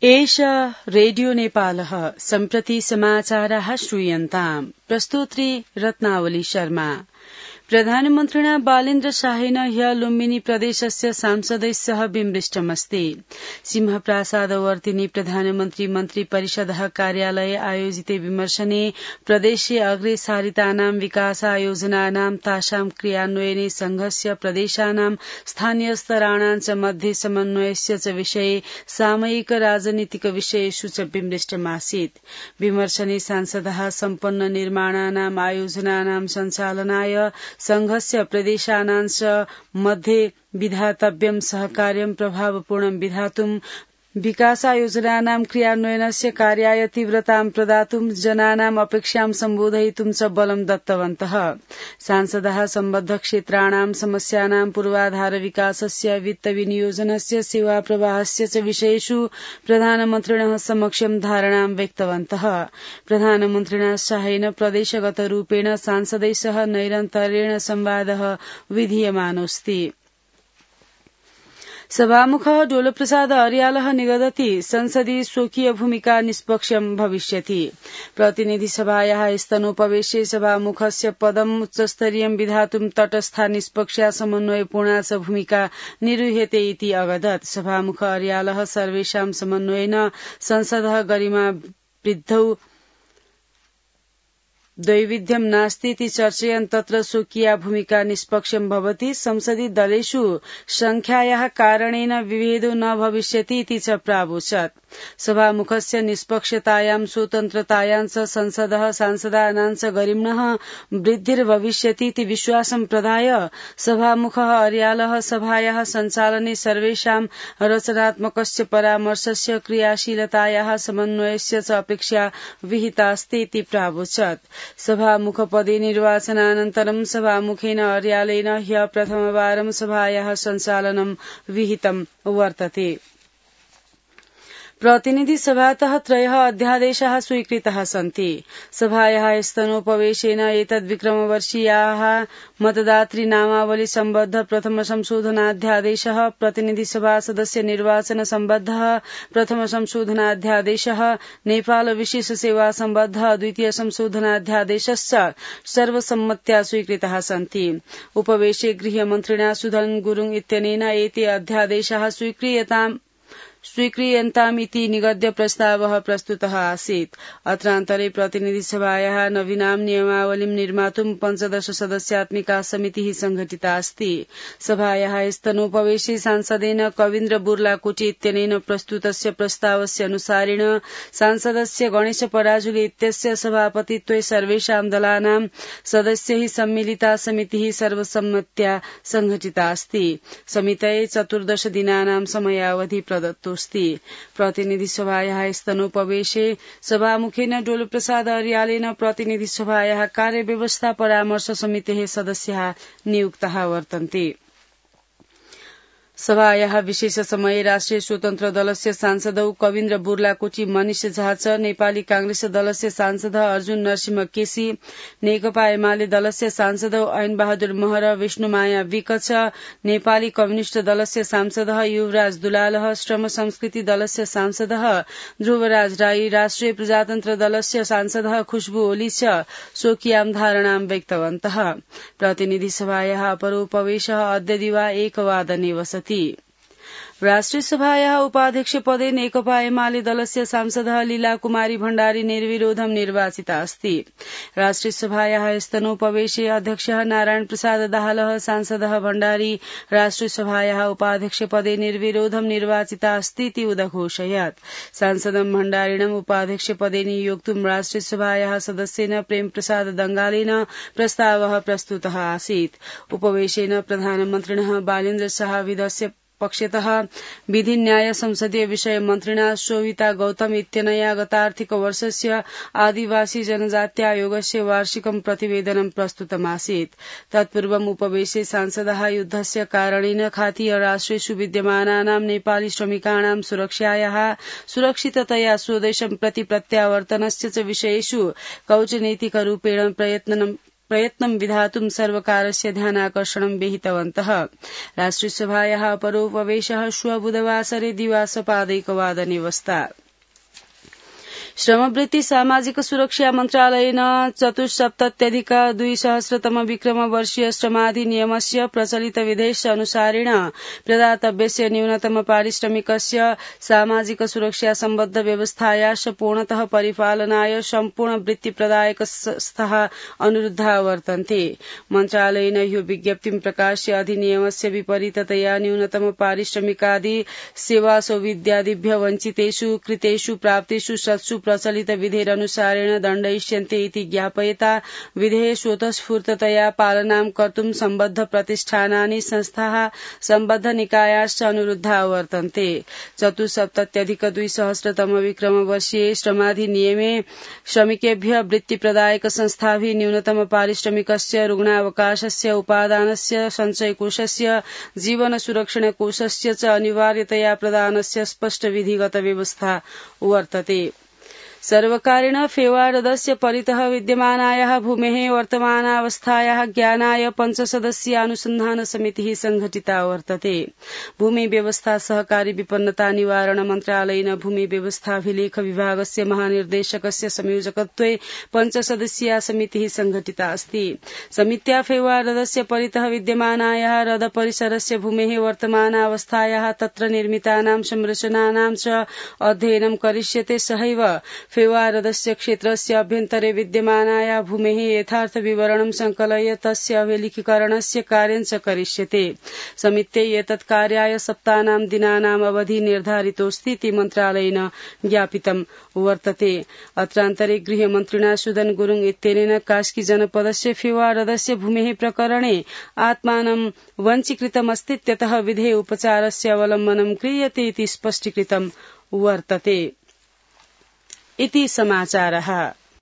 एष रेडियो नेपालः सम्प्रति समाचाराः श्रूयन्ताम् प्रस्तोत्री रत्नावली शर्मा। प्रधानमन्त्रिणा बालेन्द्र शाहेन ह्य लुम्बिनी प्रदेशस्य सांसदैः सह विमृष्टमस्ति। सिंहप्रासादवर्तिनि प्रधानमन्त्री मन्त्री परिषदः कार्यालये आयोजिते विमर्शने प्रदेशे अग्रे सारितानां विकासायोजनानां तासां क्रियान्वयने संघस्य प्रदेशानां स्थानीयस्तराणां च मध्ये समन्वयस्य च विषये सामयिक राजनीतिक विषयेषु च विमृष्टमासीत्। विमर्शने सांसदः सम्पन्न निर्माणानां आयोजनानां सञ्चालनाय संघस्य प्रदेशानां च मध्ये विधातव्यं सहकार्यं प्रभावपूर्णं विधातुं विकासायोजनानां क्रियान्वयनस्य कार्याय तीव्रतां प्रदातुं जनानाम् अपेक्षां सम्बोधयितुं च बलं दत्तवन्तः। सांसदः सम्बद्ध क्षेत्राणां समस्यानां पूर्वाधार विकासस्य वित्त विनियोजनस्य सेवा प्रवाहस्य च विषयेषु प्रधानमन्त्रिणः समक्षं धारणां व्यक्तवन्तः। प्रधानमन्त्रिणा शाहेन प्रदेशगत रूपेण सांसदैः सह नैरन्तर्येण संवादः विधीयमानोऽस्ति। सभामुखः डोलप्रसाद अर्यालः निगदति संसदि स्वकीय भूमिका निष्पक्षं भविष्यति। प्रतिनिधिसभायाः स्तनोपवेशे सभामुखस्य पदम् उच्चस्तरीयं विधातुं तटस्था निष्पक्षा समन्वयपूर्णा च भूमिका निर्वह्यते इति अवदत्। सभामुख अर्यालः सर्वेषां समन्वयेन संसदः गरिमा वृद्धौ दैविध्यं नास्तीति चर्चयन् तत्र स्वकीया भूमिका निष्पक्षं भवति। संसदि दलेषु संख्यायाः कारणेन विभेदो न भविष्यति इति च प्रावोचत्। सभामुखस्य निष्पक्षतायां स्वतन्त्रतायां च संसदः सांसदानां च गरिम्णः वृद्धिर्भविष्यति इति विश्वासं प्रदाय सभामुखः अर्यालः सभायाः सञ्चालने सर्वेषां रचनात्मकस्य परामर्शस्य क्रियाशीलतायाः समन्वयस्य च अपेक्षा विहितास्ति इति प्रावोचत्। सभामुखपदे निर्वाचनानन्तरं सभामुखेन अर्यालेन ह्य प्रथमवारं सभायाः सञ्चालनं विहितं वर्तते। प्रतिनिधि सभातः 3 अध्यादेशाः स्वीकृताः सन्ति। सभायाः स्तनोपवेशेन एतद् विक्रमवर्षीयाः मतदातृ नामावली सम्बद्ध प्रथम संशोधनाध्यादेशः, प्रतिनिधि सभा सदस्य निर्वाचन सम्बद्धः प्रथम संशोधनाध्यादेशः, नेपाल विशेष सेवा सम्बद्ध द्वितीय संशोधनाध्यादेशश्च सर्वसम्मत्या स्वीकृताः सन्ति। उपवेशे गृहमन्त्रिणा सुधन गुरुङ इत्यनेन एते अध्यादेशाः स्वीक्रियन्तामिति निगद्य प्रस्तावः प्रस्तुतः आसीत्। अत्रान्तरे प्रतिनिधिसभायाः नवीनां नियमावलीं निर्मातुं 15 सदस्यात्मिका समितिः संघटिता अस्ति। सभायाः स्तनोपवेशे सांसदेन कवीन्द्र बुर्लाकोटी इत्यनेन प्रस्तुतस्य प्रस्तावस्य अनुसारेण सांसदस्य गणेश पराजुली इत्यस्य सभापतित्वे सर्वेषां दलानां सदस्यैः सम्मिलिता समितिः सर्वसम्मत्या संघटिता अस्ति। समितये 14 दिनानां समयावधि प्रदत्तो। प्रतिनिधि सभायाः स्तनोपवेशे सभामुखेन डोलप्रसाद अर्यालेन प्रतिनिधि सभायाः कार्यव्यवस्था परामर्श समितेः सदस्याः नियुक्ताः वर्तन्ते। सभायाः विशेष समये राष्ट्रिय स्वतन्त्र दलस्य सांसदौ कवीन्द्र बुर्लाकोटी, मनिष झा च, नेपाली कांग्रेस दलस्य सांसद अर्जुन नरसिंह केसी, नेकपा एमाले दलस्य सांसदौ ऐन बहादुर महर, विष्णुमाया विक च, नेपाली कम्युनिष्ट दलस्य सांसद युवराज दुलालह, श्रम संस्कृति दलस्य सांसद ध्रुवराज राई, राष्ट्रिय प्रजातन्त्र दलस्य सांसद खुशबु ओली च स्वकीयां धारणां व्यक्तवन्तः। प्रतिनिधि सभायाः अपरोपवेशः अद्य दिवा 1 वादने वसति। राष्ट्रिय सभायाः उपाध्यक्ष पदे नेकपा एमाले दलस्य सांसदः लीला कुमारी भण्डारी निर्विरोधं निर्वाचिता अस्ति। राष्ट्रिय सभायाः स्तनोपवेशे अध्यक्षः नारायण प्रसाद दाहालः, सांसदः भण्डारी राष्ट्रिय सभायाः उपाध्यक्ष पदे निर्विरोधं निर्वाचिता अस्ति इति उदघोषयत्। सांसदं भण्डारिणम् उपाध्यक्ष पदे नियोक्तुं राष्ट्रिय सभायाः सदस्येन प्रेम प्रसाद दंगालेन प्रस्तावः प्रस्तुतः आसीत्। उपवेशेन प्रधानमन्त्रिणः बालेन्द्र शाहविदस्य पक्षतः विधि न्याय संसदीय विषय मन्त्रिणा शोभिता गौतम इत्यनया गतार्थिक वर्षस्य आदिवासी जनजाति आयोगस्य वार्षिकं प्रतिवेदनं प्रस्तुतमासीत्। तत्पूर्वम् उपवेशे सांसदः युद्धस्य कारणेन खातीय राष्ट्रेषु विद्यमानानां नेपाली श्रमिकाणां सुरक्षायाः सुरक्षिततया स्वदेशं प्रति प्रत्यावर्तनस्य च विषयेषु कौटनीतिकरूपेण प्रयत्नं विधातुं सर्वकारस्य ध्यानाकर्षणं विहितवन्तः। राष्ट्रियसभायाः परोपवेशः श्वः बुधवासरे दिवासपादैकवादने वस्ता। श्रमवृत्ति सामाजिक सुरक्षा मन्त्रालयेन 24,200 विक्रमवर्षीय श्रमाधिनियमस्य प्रचलित विधेयस्य अनुसारेण प्रदातव्यस्य न्यूनतम पारिश्रमिकस्य सामाजिक सुरक्षा सम्बद्ध व्यवस्थायाश्च पूर्णतः परिपालनाय सम्पूर्ण वृत्तिप्रदायक संस्थाः अनुरुद्धा वर्तन्ते। मन्त्रालयेन यो विज्ञप्तिं प्रकाश्य अधिनियमस्य विपरीततया न्यूनतम पारिश्रमिकादि सेवासौविध्यादिभ्यः वञ्चितेषु कृतेषु प्राप्तेषु सत्सु प्रचलित विधेयनुसारेण दण्डयिष्यन्ते इति ज्ञापयता विधेये स्वतःस्फूर्ततया पालनां कर्तुं सम्बद्ध प्रतिष्ठानानि संस्थाः सम्बद्ध निकायाश्च अनुरुद्धा वर्तन्ते। 74,200 विक्रमवर्षीये श्रमाधिनियमे श्रमिकेभ्यः वृत्तिप्रदायक संस्थाभिः न्यूनतम पारिश्रमिकस्य रुग्णावकाशस्य उपादानस्य सञ्चयकोषस्य जीवन सुरक्षण कोषस्य च अनिवार्यतया प्रदानस्य स्पष्ट विधिगत व्यवस्था वर्तते। सर्वकारेण फेवारदस्य परितः विद्यमानायाः भूमेः वर्तमानावस्थायाः ज्ञानाय 5 सदस्यीय अनुसन्धान समितिः संघटिता वर्तते। भूमि व्यवस्था सहकारी विपन्नता निवारण मन्त्रालयेन भूमि व्यवस्थाभिलेख विभागस्य महानिर्देशकस्य संयोजकत्वे 5 सदस्यीया समितिः संघटिता अस्ति। समित्या फेवारदस्य परितः विद्यमानायाः रद परिसरस्य भूमेः वर्तमानावस्थायाः तत्र निर्मितानां संरचनानां च अध्ययनं करिष्यते। सहैव फेवारदस्य क्षेत्रस्य अभ्यन्तरे विद्यमानाया भूमेः यथार्थ विवरणं संकलय्य तस्य अभिलेखीकरणस्य कार्यं च करिष्यते। समित्यै एतत् कार्याय सप्तानां दिनानाम् अवधि निर्धारितोऽस्ति इति मन्त्रालयेन ज्ञापितं वर्तते। अत्रान्तरे गृहमन्त्रिणा सुदन गुरुङ इत्यनेन कास्की जनपदस्य फेवारदस्य भूमेः प्रकरणे आत्मानं वञ्चीकृतमस्तीत्यतः विधेय उपचारस्य अवलम्बनं क्रियते इति स्पष्टीकृतं वर्तते। इति समाचारः।